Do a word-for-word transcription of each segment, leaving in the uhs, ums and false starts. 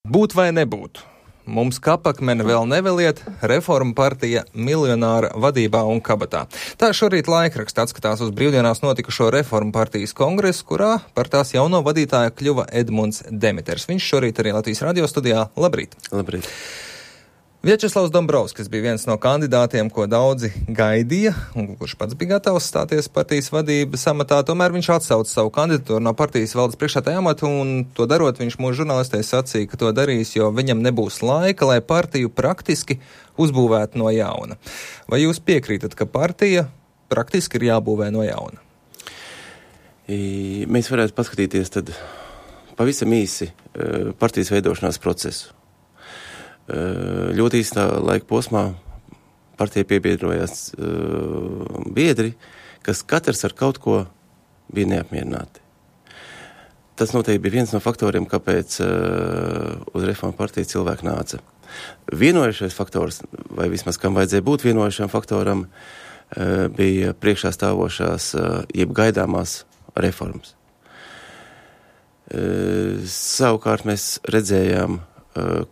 Būt vai nebūt? Mums kapakmeni vēl neveliet, Reforma partija miljonāra vadībā un kabatā. Tā šorīt laikraksts atskatās uz brīvdienās notikušo Reforma partijas kongresu, kurā par tās jauno vadītāju kļuva Edmunds Demeters. Viņš šorīt arī Latvijas radio studijā. Labrīt! Labrīt! Viačeslavs Dombrovskis bija viens no kandidātiem, ko daudzi gaidīja, un kurš pats bija gatavs stāties partijas vadības amatā. Tomēr viņš atsauca savu kandidatūru no partijas valdes priekšsēdētāja amata, un to darot viņš mūsu žurnālistei sacīja, ka to darīs, jo viņam nebūs laika, lai partiju praktiski uzbūvētu no jauna. Vai jūs piekrītat, ka partija praktiski ir jābūvē no jauna? I, mēs varētu paskatīties tad pavisam īsi partijas veidošanās procesu. Ļoti īstā laika posmā partijai piebiedrojās uh, biedri, kas katrs ar kaut ko bija neapmierināti. Tas noteikti bija viens no faktoriem, kāpēc uh, uz Reforma partiju cilvēki nāca. Vienojušais faktors, vai vismaz kam vajadzēja būt vienojušam faktoram, uh, bija priekšā stāvošās, uh, jeb gaidāmās reformas. Uh, savukārt mēs redzējām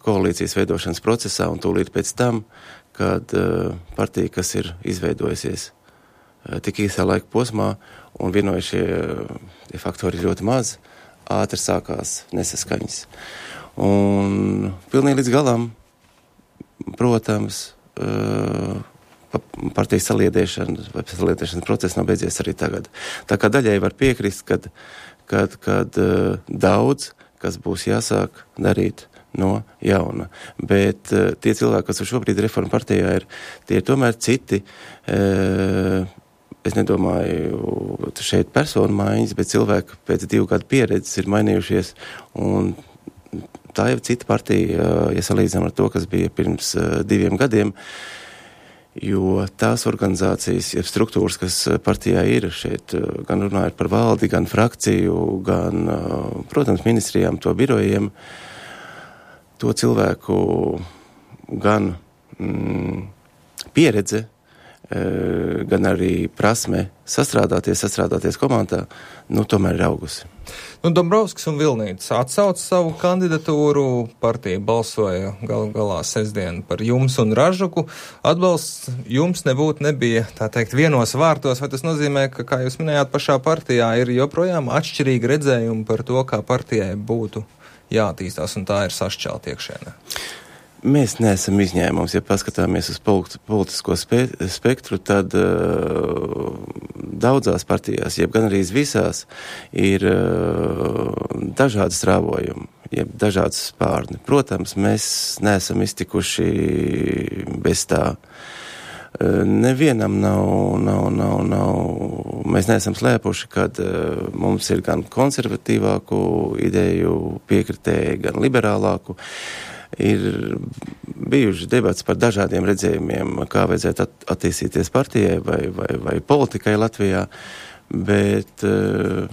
koalīcijas veidošanas procesā un tūlīt pēc tam, kad uh, partija, kas ir izveidojusies uh, tik īsā laika posmā un vienojušie uh, faktori ļoti maz, ātri sākās nesaskaņas. Un pilnīgi līdz galam, protams, uh, partijas saliedēšana vai saliedēšanas process nav beidzies arī tagad. Tā kā daļai var piekrist, kad, kad, kad uh, daudz, kas būs jāsāk darīt no jauna. Bet uh, tie cilvēki, kas šobrīd Reforma partijā ir, tie ir tomēr citi, uh, es nedomāju šeit personu maiņas, bet cilvēki pēc divu gadu pieredzes ir mainījušies, un tā jau cita partija, uh, ja salīdzinām ar to, kas bija pirms uh, diviem gadiem, jo tās organizācijas, ja struktūras, kas partijā ir šeit, uh, gan runājot par valdi, gan frakciju, gan, uh, protams, ministrijām, to birojiem, to cilvēku gan mm, pieredze, e, gan arī prasme sastrādāties, sastrādāties komandā, nu tomēr ir augusi. Nu, Dombrovskis un Vilnītis atsauca savu kandidatūru, partija balsoja gal galā sestdien par jums un Ražuku. Atbalsts jums nebūtu nebija, tā teikt, vienos vārtos, vai tas nozīmē, ka, kā jūs minējāt, pašā partijā ir joprojām atšķirīgi redzējumi par to, kā partijai būtu jātīstās, un tā ir sašķelta iekšēnē? Mēs neesam izņēmums. Ja paskatāmies uz politisko spe- spektru, tad uh, daudzās partijās, jeb gan arī visās, ir uh, dažādi strāvojumi, jeb dažādas spārni. Protams, mēs neesam iztikuši bez tā. Uh, nevienam nav, nav, nav, nav, mēs neesam slēpuši, kad uh, mums ir gan konservatīvāku ideju piekritēji, gan liberālāku. Ir bijuši debats par dažādiem redzējumiem, kā vajadzētu at- attīstīties partijai vai, vai, vai politikai Latvijā, bet, uh,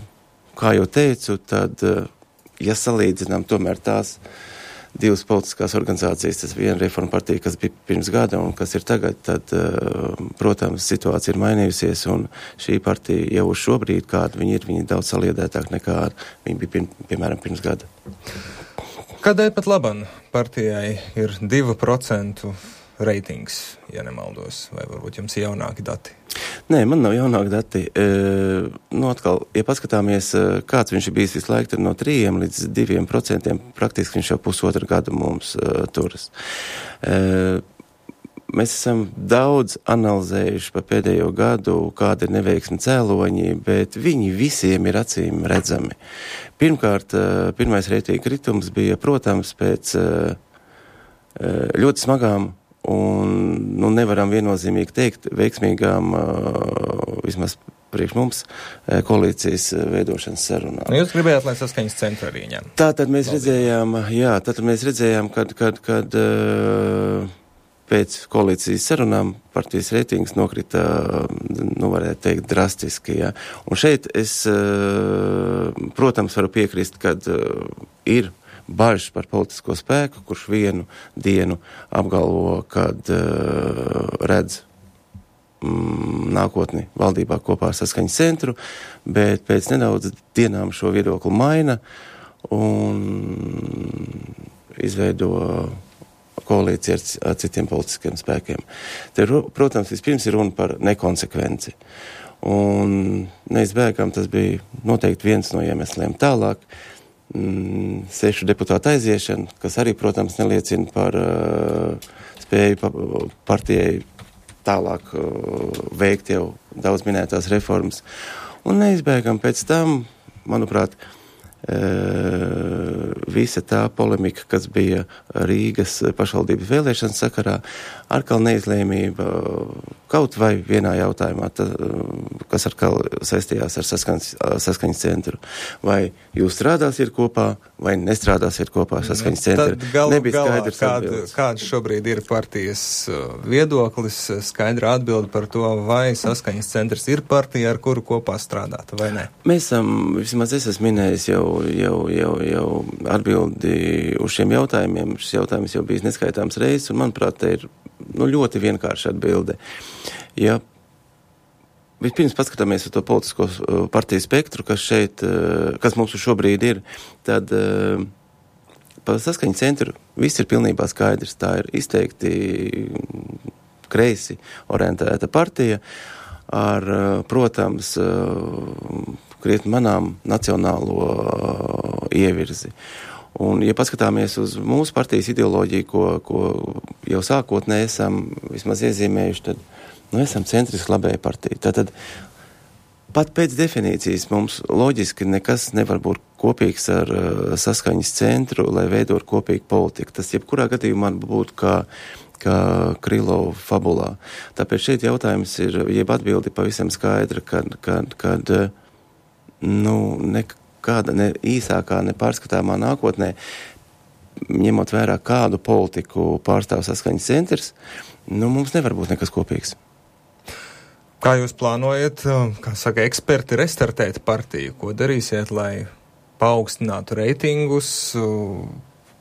kā jau teicu, tad, uh, ja salīdzinām tomēr tās divas politiskās organizācijas, tas viena Reforma partija, kas bija pirms gada un kas ir tagad, tad, protams, situācija ir mainījusies, un šī partija jau uz šobrīd, kāda viņi ir, viņi ir daudz saliedētāk nekā viņi bija, pirm, piemēram, pirms gada. Kādēļ pat laban partijai ir divi procenti reitings, ja nemaldos, vai varbūt jums ir jaunāki dati? Nē, man nav jaunāki dati. E, nu, atkal, ja paskatāmies, kāds viņš ir bijis visu laiku, tad no trījiem līdz diviem procentiem praktiski viņš jau pusotru gadu mums uh, turas. E, mēs esam daudz analizējuši pa pēdējo gadu, kāda ir neveiksmi cēloņi, bet viņi visiem ir acīm redzami. Pirmkārt, uh, pirmais reitinga kritums bija, protams, pēc uh, ļoti smagām un, nu, nevaram viennozīmīgi teikt, veiksmīgām, uh, vismaz priekš mums, koalīcijas veidošanas sarunām. Nu, jūs gribējāt, lai Saskaņas centru arī ņem? Tātad mēs redzējām, jā, tātad mēs redzējām, kad, kad, kad uh, pēc koalīcijas sarunām partijas reitings nokrita, nu, varētu teikt, drastiski, jā. Un šeit es, uh, protams, varu piekrist, kad uh, ir bažas par politisko spēku, kurš vienu dienu apgalvo, kad uh, redz mm, nākotni valdībā kopā ar Saskaņas centru, bet pēc nedaudz dienām šo viedokli maina un izveido koalīciju ar, ar citiem politiskiem spēkiem. Te, protams, vispirms ir runa par nekonsekvenci. Un neizbēgam tas bija noteikti viens no iemesliem. Tālāk mm, sešu deputātu aiziešana, kas arī, protams, neliecina par uh, spēju pa, partijai tālāk uh, veikt jau daudz minētās reformas. Un neizbēgam pēc tam, manuprāt, uh, visa tā polemika, kas bija Rīgas pašvaldības vēlēšanas sakarā, atkal neizlēmība kaut vai vienā jautājumā, tā, kas atkal saistījās ar saskaņas, saskaņas centru. Vai jūs strādāsiet kopā, vai nestrādāsiet kopā ar saskaņas centru? Tad galu galā, kāda, kāds šobrīd ir partijas viedoklis, skaidra atbilde par to, vai saskaņas centrs ir partija, ar kuru kopā strādāt, vai ne? Mēs esam, vismaz es esmu minējis jau, jau, jau, jau atbildi uz šiem jautājumiem. Šis jautājums jau bijis neskaitāms reizes, un manuprāt, te ir nu, ļoti vienkārša atbilde. Ja vispirms paskatāmies uz to politisko partiju spektru, kas šeit, kas mums šobrīd ir, tad par saskaņu centru viss ir pilnībā skaidrs. Tā ir izteikti kreisi orientēta partija ar, protams, krietni manām nacionālo ievirzi. Un, ja paskatāmies uz mūsu partijas ideoloģiju, ko, ko jau sākotnēji esam vismaz iezīmējuši, tad nu, esam centriski labēja partija. Tātad pat pēc definīcijas mums loģiski nekas nevar būt kopīgs ar uh, saskaņas centru, lai veidot kopīgu politiku. Tas jebkurā gadījumā būtu kā, kā Krylova fabulā. Tāpēc šeit jautājums ir, jeb atbildi pavisam skaidra, kad, kad, kad nu, nekā kāda ne īsākā, ne pārskatāmā nākotnē, ņemot vērā kādu politiku pārstāv saskaņas centrs, nu, mums nevar būt nekas kopīgs. Kā jūs plānojat, kā saka eksperti, restartēt partiju? Ko darīsiet, lai paaugstinātu reitingus,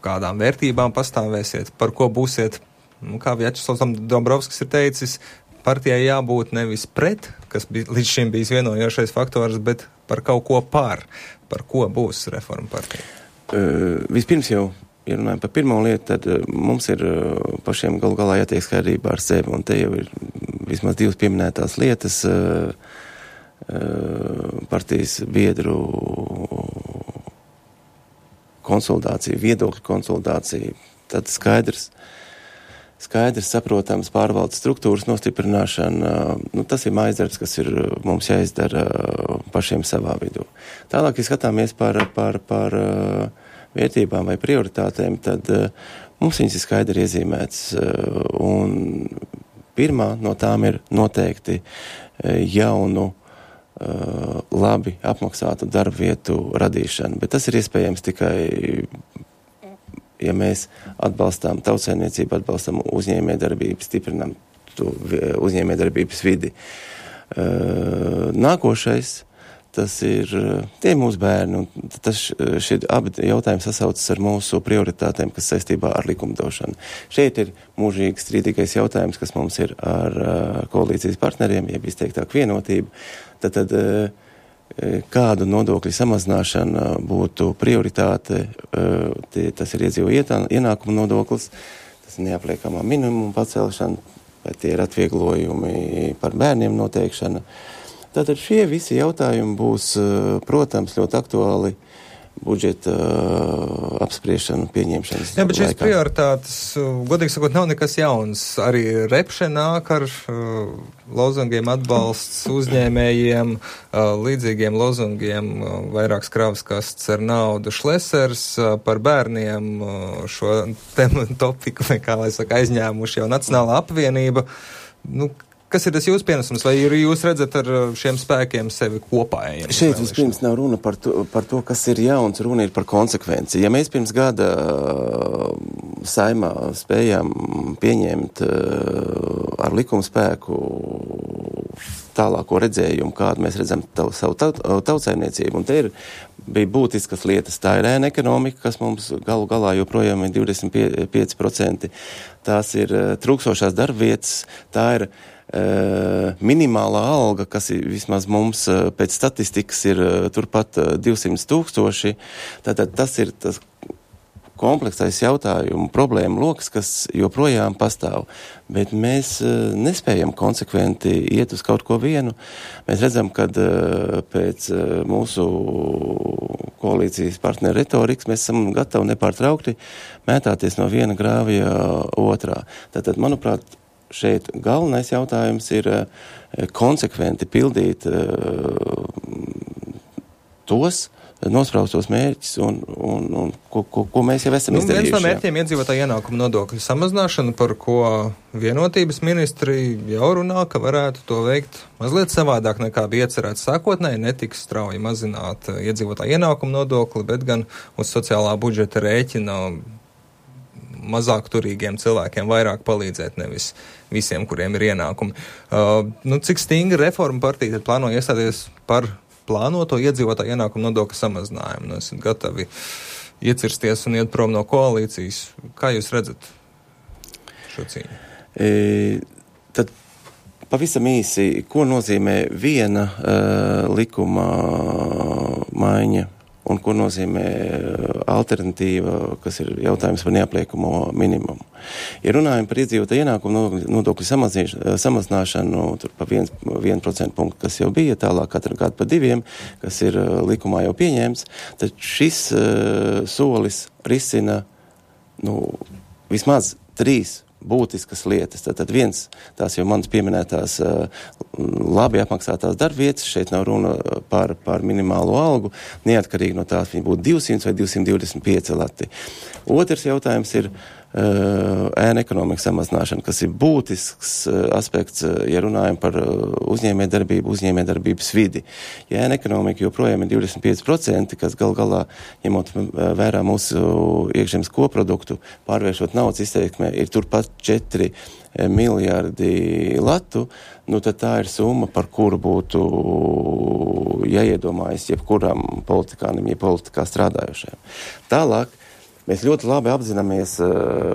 kādām vērtībām pastāvēsiet, par ko būsiet, nu, kā Vjačeslavs Dombrovskis ir teicis, partijai jābūt nevis pret, kas bija, līdz šim bijis vienojošais faktors, bet par kaut ko pār. Par ko būs reforma partija? Uh, vispirms jau, ja runājam par pirmo lietu, tad uh, mums ir uh, pašiem galu galā jātiek skaidrībā ar sevi, un te jau ir vismaz divas pieminētās lietas, uh, uh, partijas biedru konsolidācija, viedokļu konsolidācija, tad skaidrs, skaidrs, saprotams, pārvaldes struktūras nostiprināšana, nu, tas ir mājasdarbs, kas ir mums jāizdara pašiem savā vidū. Tālāk, ja skatāmies par, par, par vērtībām vai prioritātēm, tad mums viņas ir skaidri iezīmētas, un pirmā no tām ir noteikti jaunu, labi apmaksātu darba vietu radīšana, bet tas ir iespējams tikai ja mēs atbalstām tautsaimniecību, atbalstam uzņēmējdarbību, stiprinām to uzņēmējdarbības vidi. Nākošais, tas ir tie mūsu bērni, un tas šie abi jautājumi sasaucas ar mūsu prioritātēm, kas saistībā ar likumdošanu. Šeit ir mūžīgi strīdīgais jautājums, kas mums ir ar koalīcijas partneriem, ja izteiktāk vienotība, tad, tad kādu nodokļu samazināšana būtu prioritāte, tas ir iedzīvotāju ienākumu nodoklis, tas ir neapliekamā minimuma pacelšana, vai tie ir atvieglojumi par bērniem noteikšana. Tātad šie visi jautājumi būs, protams, ļoti aktuāli budžeta apspriešanu pieņemšanas. Jā, bet šīs laikā. prioritātes, godīgi sakot, nav nekas jauns. Arī Repše nāk ar uh, lozungiem atbalsts uzņēmējiem, uh, līdzīgiem lozungiem, uh, vairākas kravas kastes ar naudu. Šlesers uh, par bērniem uh, šo temu topiku, vai kā lai saka, aizņēmuši jau Nacionālā apvienība. Nu, kas ir tas jūsu pienesums, vai jūs redzat ar šiem spēkiem sevi kopā? Šeit vispirms nav runa par to, par to, kas ir jauns, runa ir par konsekvenci. Ja mēs pirms gada saimā spējām pieņemt ar likuma spēku tālāko redzējumu, kādu mēs redzam tav, savu taut, tautsaimniecību, un te ir, bija būtiskas lietas. Tā ir ēna ekonomika, kas mums galu galā joprojām ir divdesmit pieci procenti. Tās ir trūkstošās darbvietas, tā ir Uh, minimālā alga, kas ir vismaz mums uh, pēc statistikas ir uh, turpat uh, divsimt tūkstoši. Tātad tas ir tas kompleksais jautājumu problēmu loks, kas joprojām pastāv. Bet mēs uh, nespējam konsekventi iet uz kaut ko vienu. Mēs redzam, ka uh, pēc uh, mūsu koalīcijas partneru retorikas mēs esam gatavi nepārtraukti mētāties no viena grāvija otrā. Tātad, manuprāt, šeit galvenais jautājums ir uh, konsekventi pildīt uh, tos nospraustos mērķus un, un, un ko, ko, ko mēs jau esam nu, izdarījuši. Viens no mērķiem iedzīvotāju ienākumu nodokļu samazināšana, par ko vienotības ministri jau runā, ka varētu to veikt mazliet savādāk nekā bija iecerēts sākotnēji, netiks strauji mazināt iedzīvotāju ienākumu nodokli, bet gan uz sociālā budžeta rēķina mazāk turīgiem cilvēkiem vairāk palīdzēt, nevis visiem, kuriem ir ienākumi. Uh, nu, cik stingri reforma partija tad plāno iestāties par plānoto iedzīvotāju ienākumu nodokļu samazinājumu? Nu, esat gatavi iecirsties un iet prom no koalīcijas. Kā jūs redzat šo cīņu? E, tad pavisam īsi, ko nozīmē viena uh, likuma maiņa un ko nozīmē alternatīva, kas ir jautājums par neapliekamo minimumu. Ja runājam par iedzīvotāju ienākumu nodokļu samazināšanu, tur pa vienu procentu punktu, kas jau bija, tālāk katru gadu pa diviem, kas ir likumā jau pieņēmts, tad šis uh, solis risina nu, vismaz trīs būtiskas lietas. Tātad viens, tās jau manas pieminētās uh, labi apmaksātās darbvietas, šeit nav runa par, par minimālo algu, neatkarīgi no tās viņi būtu divsimt vai divsimt divdesmit pieci lati. Otrs jautājums ir uh, ēna ekonomikas samazināšana, kas ir būtisks uh, aspekts, uh, ja runājam par uh, uzņēmējdarbību, uzņēmējdarbības vidi. Ja ēna ekonomika joprojām ir divdesmit pieci procenti, kas gal galā, ņemot uh, vērā mūsu iekšzemes koproduktu, pārvēršot naudas izteiksmē, ir turpat četri miljardi latu, nu tad tā ir summa, par kuru būtu jāiedomājas jebkuram politikānim, ja politikā strādājušajam. Tālāk, mēs ļoti labi apzināmies,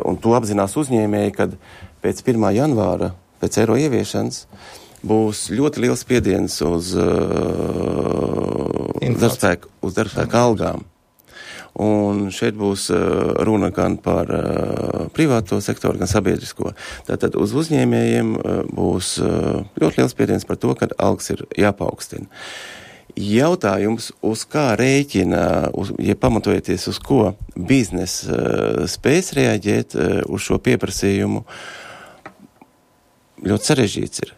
un to apzinās uzņēmēji, kad pēc pirmā janvāra, pēc eiro ieviešanas, būs ļoti liels spiediens uz uh, darbspēku, uz darbspēku algām. Un šeit būs uh, runa gan par uh, privāto sektoru, gan sabiedrisko. Tātad uz uzņēmējiem uh, būs uh, ļoti liels spiediens par to, ka algas ir jāpaukstina. Jautājums, uz kā rēķina, uz, ja pamatojoties uz ko biznes uh, spēs reaģēt uh, uz šo pieprasījumu, ļoti sarežģīts ir.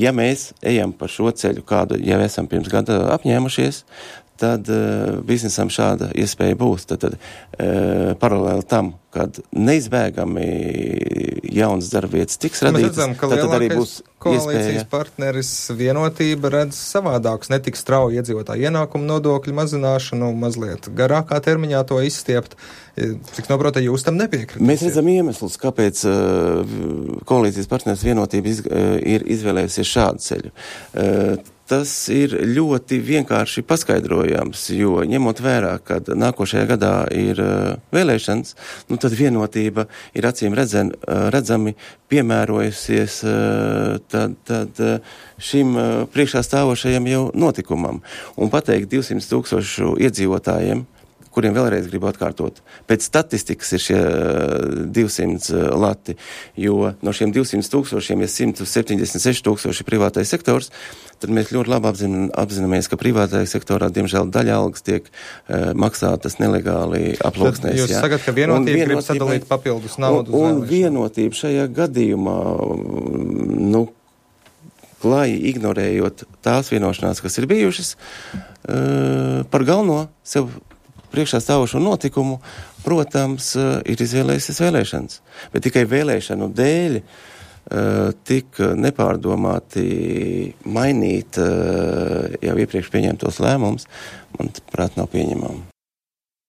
Ja mēs ejam par šo ceļu, kādu jau esam pirms gada apņēmušies, tad uh, biznesam šāda iespēja būs. Tad, tad uh, paralēli tam, kad neizbēgami jaunas darbvietas tiks radītas, redzam, tad, tad arī būs koalīcijas iespēja. Partneris Vienotība redz savādākus, netik strauji iedzīvotāju ienākumu nodokļu mazināšanu, mazliet garākā termiņā to izstiept. Cik noprota, jūs tam nepiekritīsiet? Mēs redzam iemeslus, kāpēc uh, koalīcijas partneris Vienotība iz, uh, ir izvēlējusies šādu ceļu. Uh, Tas ir ļoti vienkārši paskaidrojams, jo ņemot vērā, ka nākošajā gadā ir uh, vēlēšanas, nu tad Vienotība ir acīm redzen, uh, redzami piemērojusies uh, tad, tad, uh, šim uh, priekšā stāvošajam jau notikumam. Un pateikt divsimt tūkstošu iedzīvotājiem, kuriem vēlreiz gribu atkārtot. Pēc statistikas ir šie divsimt lati, jo no šiem divsimt tūkstošiem ir simt septiņdesmit seši tūkstoši privātais sektors, tad mēs ļoti labi apzin, apzināmies, ka privātajā sektorā, diemžēl, daļa algas tiek uh, maksātas nelegāli aplūksnēs. Jūs sakat, ka Vienotība grib sadalīt papildus naudu uz vēlēšanu. Un Vienotība šajā gadījumā, nu, klāji ignorējot tās vienošanās, kas ir bijušas, uh, par galveno sev priekšā stāvošo notikumu, protams, ir izvēlējusies vēlēšanas. Bet tikai vēlēšanu dēļ uh, tik nepārdomāti mainīt uh, jau iepriekš pieņemtos lēmumus, manuprāt, nav pieņemami.